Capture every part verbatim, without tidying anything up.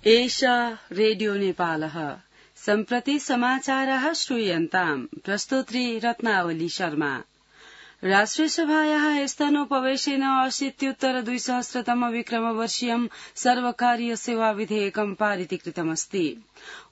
एषा रेडियो नेपालः सम्प्रति समाचाराः श्रूयन्ताम् प्रस्तोत्री रत्नावली शर्मा। राष्ट्रियसभायाः स्थानोपवेशेन अशीत्युत्तर द्विसहस्रतम विक्रमवर्षीयं सर्वकारीय सेवा विधेयकं पारितीकृतमस्ति।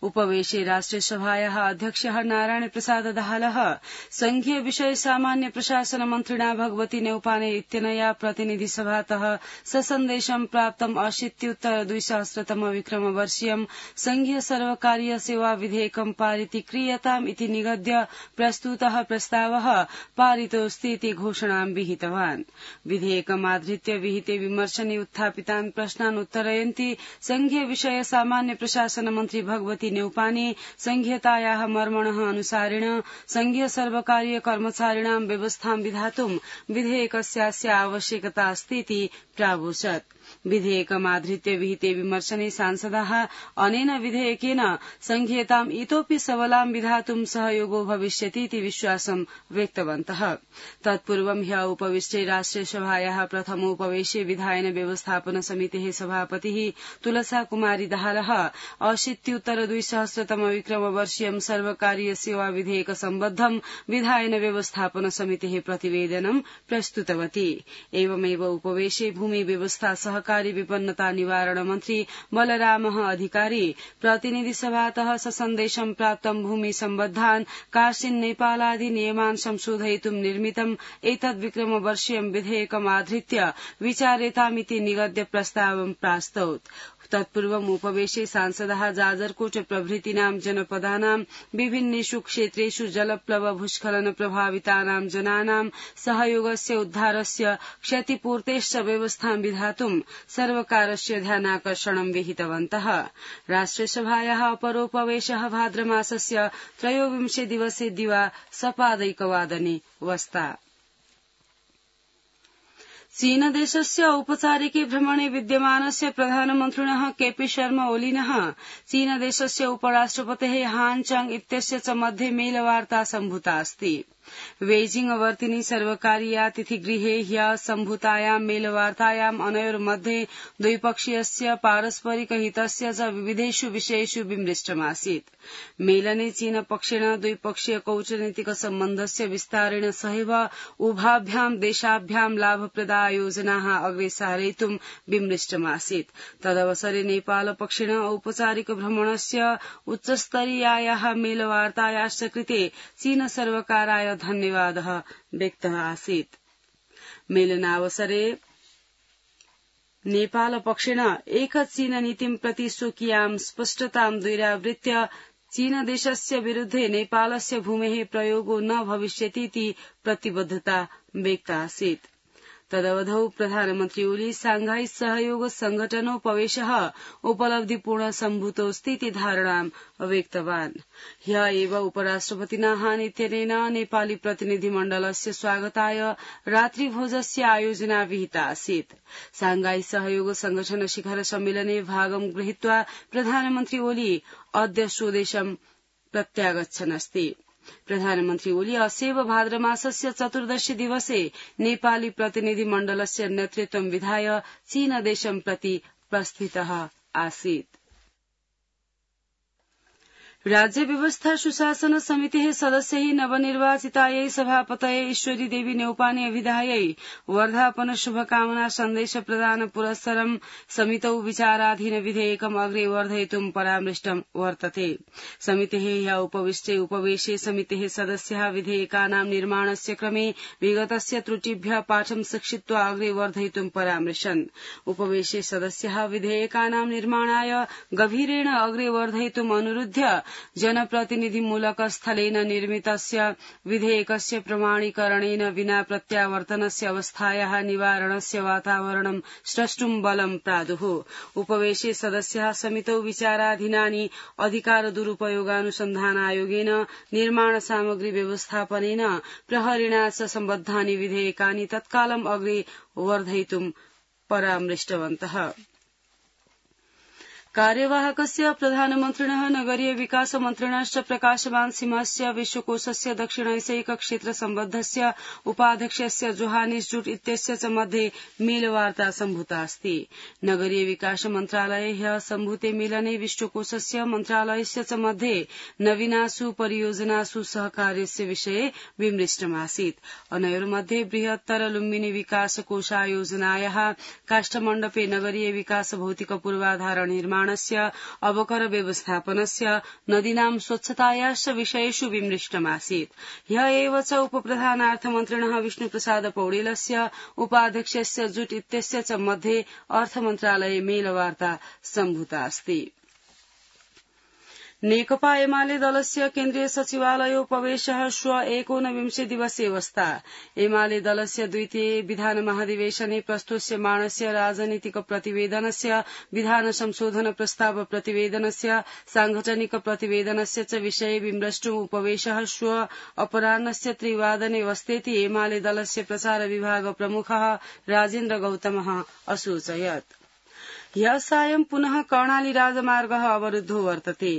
उपवेशे राष्ट्रियसभायाः अध्यक्षः नारायण प्रसाद दाहालः संघीय विषय सामान्य प्रशासन मन्त्रिणा भगवती नेउपाने इत्यनया प्रतिनिधिसभातः ससन्देशं प्राप्तम् अशीत्युत्तर द्विसहस्रतम विक्रमवर्षीयं संघीय सर्वकारीय सेवा विधेयकं पारितीक्रियताम् इति निगद्य प्रस्तुतः प्रस्तावः पारितोऽस्ति इति घोषणां विहितवान्। विधेयकमाधृत्य विहिते विमर्शने उत्थापितान् प्रश्नान् उत्तरयन्ती संघीय विषय सामान्य प्रशासन मन्त्री भगवती नेउपाने संघीयतायाः मर्मणः अनुसारेण संघीय सर्वकारीय कर्मचारिणां व्यवस्थां विधातुं विधेयकस्यास्य आवश्यकता अस्ति इति प्रावोचत्। विधेयकमाधृत्य विहिते विमर्शने सांसदाः अनेन विधेयकेन संघीयताम् इतोऽपि सबलां विधातुं सहयोगो भविष्यति इति विश्वासं व्यक्तवन्तः। तत्पूर्वं ह्यः उपविष्टे राष्ट्रियसभायाः प्रथमोपवेशे विधायन व्यवस्थापन समितेः सभापतिः तुलसा कुमारी दाहालः अशीत्युत्तर द्विसहस्रतम विक्रमवर्षीयं सर्वकारीय सेवा विधेयक सम्बद्धं विधायन व्यवस्थापन समितेः प्रतिवेदनं प्रस्तुतवती। एवमेव उपवेशे भूमि व्यवस्था सहकारी विपन्नता निवारण मन्त्री बलरामः अधिकारी प्रतिनिधि सभातः ससन्देशं प्राप्तं भूमि सम्बद्धान् कार्सिन नेपालादि नियमान् संशोधयितुं निर्मितम् एतद् विक्रमवर्षीयं विधेयकमाधृत्य विचारेतामिति निगद्य प्रस्तावं प्रास्तौत्। तत्पूर्वम् उपवेशे सांसदाः जाजरकोट प्रभृतीनां जनपदानां विभिन्नेषु क्षेत्रेषु जलप्लव भूस्खलन प्रभावितानां जनानां सहयोगस्य उद्धारस्य क्षतिपूर्तेश्च व्यवस्थां विधातुं सर्वकारस्य ध्यानाकर्षणं विहितवन्तः। राष्ट्रियसभायाः अपरोपवेशः भाद्रमासस्य त्रयोविंशे दिवसे दिवा सपादैकवादने वस्ता। चीनदेशस्य औपचारिके भ्रमणे विद्यमानस्य प्रधानमन्त्रिणः केपी शर्मा ओलीनः चीनदेशस्य उपराष्ट्रपतेः हान चांग इत्यस्य च मध्ये मेलवार्ता सम्भूता अस्ति। बेजिंग वर्तिनि सर्वकारीयातिथिगृहे ह्यः सम्भूतायां मेलवार्तायाम् अनयोर्मध्ये द्विपक्षीयस्य पारस्परिक हितस्य च विविधेषु विषयेषु विमृष्टमासीत्। मेलने चीनपक्षेण द्विपक्षीय कूटनीतिक सम्बन्धस्य विस्तारेण सहैव उभाभ्यां देशाभ्यां लाभप्रदा योजनाः अग्रे सारयितुं विमृष्टमासीत्। तदवसरे नेपालपक्षेण औपचारिक भ्रमणस्य उच्चस्तरीयायाः मेलवार्तायाश्च कृते चीन सर्वकाराय धन्यवादः व्यक्तः आसीत्। मेलनावसरे नेपालपक्षेण एक चीन नीतिं प्रति स्वकीयां स्पष्टतां द्विरावृत्य चीनदेशस्य विरुद्धे नेपालस्य भूमेः प्रयोगो न भविष्यतीति प्रतिबद्धता व्यक्ता आसीत्। तदवधौ प्रधानमन्त्री ओली सांघाई सहयोग संघटनोपवेशः उपलब्धिपूर्ण सम्भूतोऽस्ति इति धारणां व्यक्तवान्। ह्यः एव उपराष्ट्रपतिना हान इत्यनेन नेपाली प्रतिनिधिमण्डलस्य स्वागताय रात्रिभोजस्य आयोजना विहिता आसीत्। सांघाई सहयोग संगठन शिखर सम्मेलने भागं गृहीत्वा प्रधानमन्त्री ओली अद्य स्वदेशं प्रत्यागच्छन् अस्ति। प्रधानमन्त्री ओली अस्यैव भाद्रमासस्य चतुर्दशी दिवसे नेपाली प्रतिनिधिमण्डलस्य नेतृत्वं विधाय चीनदेशं प्रति प्रस्थितः आसीत्। राज्य व्यवस्था सुशासन समितेः सदस्यैः नवनिर्वाचितायै सभापतये ईश्वरी देवी नेउपाने अभिधायै वर्धापन शुभकामना सन्देश प्रदान पुरस्सरं समितौ विचाराधीन विधेयकम् अग्रे वर्धयितुं परामृष्टं वर्तते। समितेः ह्यः उपविष्टे उपवेशे समितेः सदस्याः विधेयकानां निर्माणस्य क्रमे विगतस्य त्रुटिभ्यः पाठं शिक्षित्वा अग्रे वर्धयितुं परामृशन्। उपवेशे सदस्याः विधेयकानां निर्माणाय गभीरेण अग्रे वर्धयितुम् अनुरुध्य जनप्रतिनिधिमूलक स्थलेन निर्मितस्य विधेयकस्य प्रमाणीकरणेन विना प्रत्यावर्तनस्य अवस्थायाः निवारणस्य वातावरणं स्रष्टुं बलं प्रादुः। उपवेशे सदस्याः समितौ विचाराधीनानि अधिकार दुरुपयोगानुसन्धानायोगेन निर्माण सामग्री व्यवस्थापनेन प्रहरिणा च सम्बद्धानि विधेयकानि तत्कालम् अग्रे वर्धयितुं परामृष्टवन्तः। कार्यवाहकस्य प्रधानमन्त्रिणः नगरीय विकास मन्त्रिणश्च प्रकाशवान् सिंहस्य विश्वकोशस्य दक्षिणैसैक क्षेत्र सम्बद्धस्य उपाध्यक्षस्य जोहानिस जूट इत्यस्य च मध्ये मेलवार्ता सम्भूता अस्ति। नगरीय विकास मन्त्रालये ह्यः सम्भूते मेलने विश्वकोशस्य मन्त्रालयस्य च मध्ये नवीनासु परियोजनासु सहकार्यस्य विषये विमृष्टमासीत्। अनयोर्मध्ये बृहत्तर लुम्बिनी विकास कोशायोजनायाः काष्ठमण्डपे नगरीय विकास भौतिक पूर्वाधार निर्माणस्य अवकर व्यवस्थापनस्य नदीनां स्वच्छतायाश्च विषयेषु विमृष्टमासीत्। ह्यः एव च उपप्रधानार्थमन्त्रिणः विष्णुप्रसाद पौडेलस्य उपाध्यक्षस्य जुट इत्यस्य च मध्ये अर्थमन्त्रालये मेलवार्ता सम्भूता अस्ति। नेकपा एमाले दलस्य केन्द्रीय सचिवालयोपवेशः श्व एकोनविंशे दिवसे वस्ता। एमाले दलस्य द्वितीये विधान महाधिवेशने प्रस्तुष्यमाणस्य राजनीतिक प्रतिवेदनस्य विधान संशोधन प्रस्ताव प्रतिवेदनस्य सांगठनिक प्रतिवेदनस्य च विषये विमृष्टुम् उपवेशः श्व अपराह्नस्य त्रिवादने वस्तेति एमाले दलस्य प्रचार विभाग प्रमुखः राजेन्द्र गौतमः असूचयत्। ह्यः सायं पुनः कर्णाली राजमार्गः अवरुद्धो वर्तते।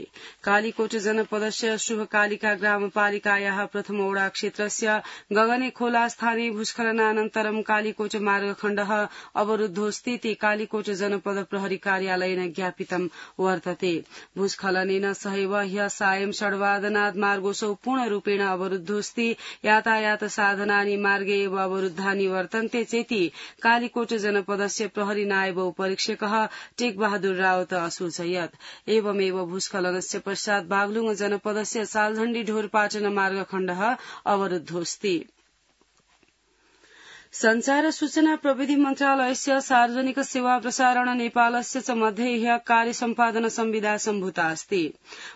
कालीकोट जनपदस्य शुभकालिका ग्रामपालिकायाः प्रथमोडा क्षेत्रस्य गगने खोला स्थाने भूस्खलनानन्तरं कालीकोट मार्गखण्डः अवरुद्धोऽस्तीति कालीकोट जनपद प्रहरी कार्यालयेन ज्ञापितं वर्तते। भूस्खलनेन सहैव ह्यः सायं षड्वादनात् मार्गोऽसौ पूर्णरूपेण अवरुद्धोऽस्ति। यातायात साधनानि मार्गे एव अवरुद्धानि वर्तन्ते चेति कालीकोट जनपदस्य प्रहरी नायब उपरीक्षकः टेक बहादुर रावत असूचयत्। एवमेव भूस्खलनस्य पश्चात् बागलुङ जनपदस्य सालझण्डी ढोरपाटन मार्गखण्डः अवरुद्धोऽस्ति। संचार सूचना प्रविधि मन्त्रालयस्य सार्वजनिक सेवा प्रसारण नेपालस्य च मध्ये ह्यः कार्य सम्पादन संविदा सम्भूता अस्ति।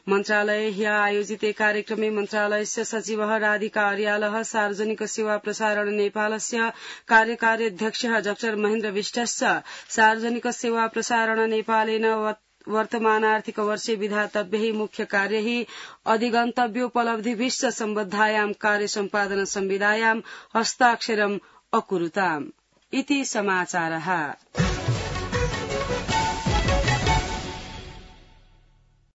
मन्त्रालये ह्यः आयोजिते कार्यक्रमे मन्त्रालयस्य सचिवः राधिका अर्यालः सार्वजनिक सेवा प्रसारण नेपालस्य कार्यकारी अध्यक्षः डाक्टर महेन्द्र विष्टश्च सार्वजनिक सेवा प्रसारण नेपालेन वर्तमानार्थिक वर्षे विधातव्यैः मुख्य कार्यैः अधिगन्तव्योपलब्धिभिश्च सम्बद्धायां कार्य सम्पादन संविदायां हस्ताक्षरम् अकुरुताम् इति समाचारः।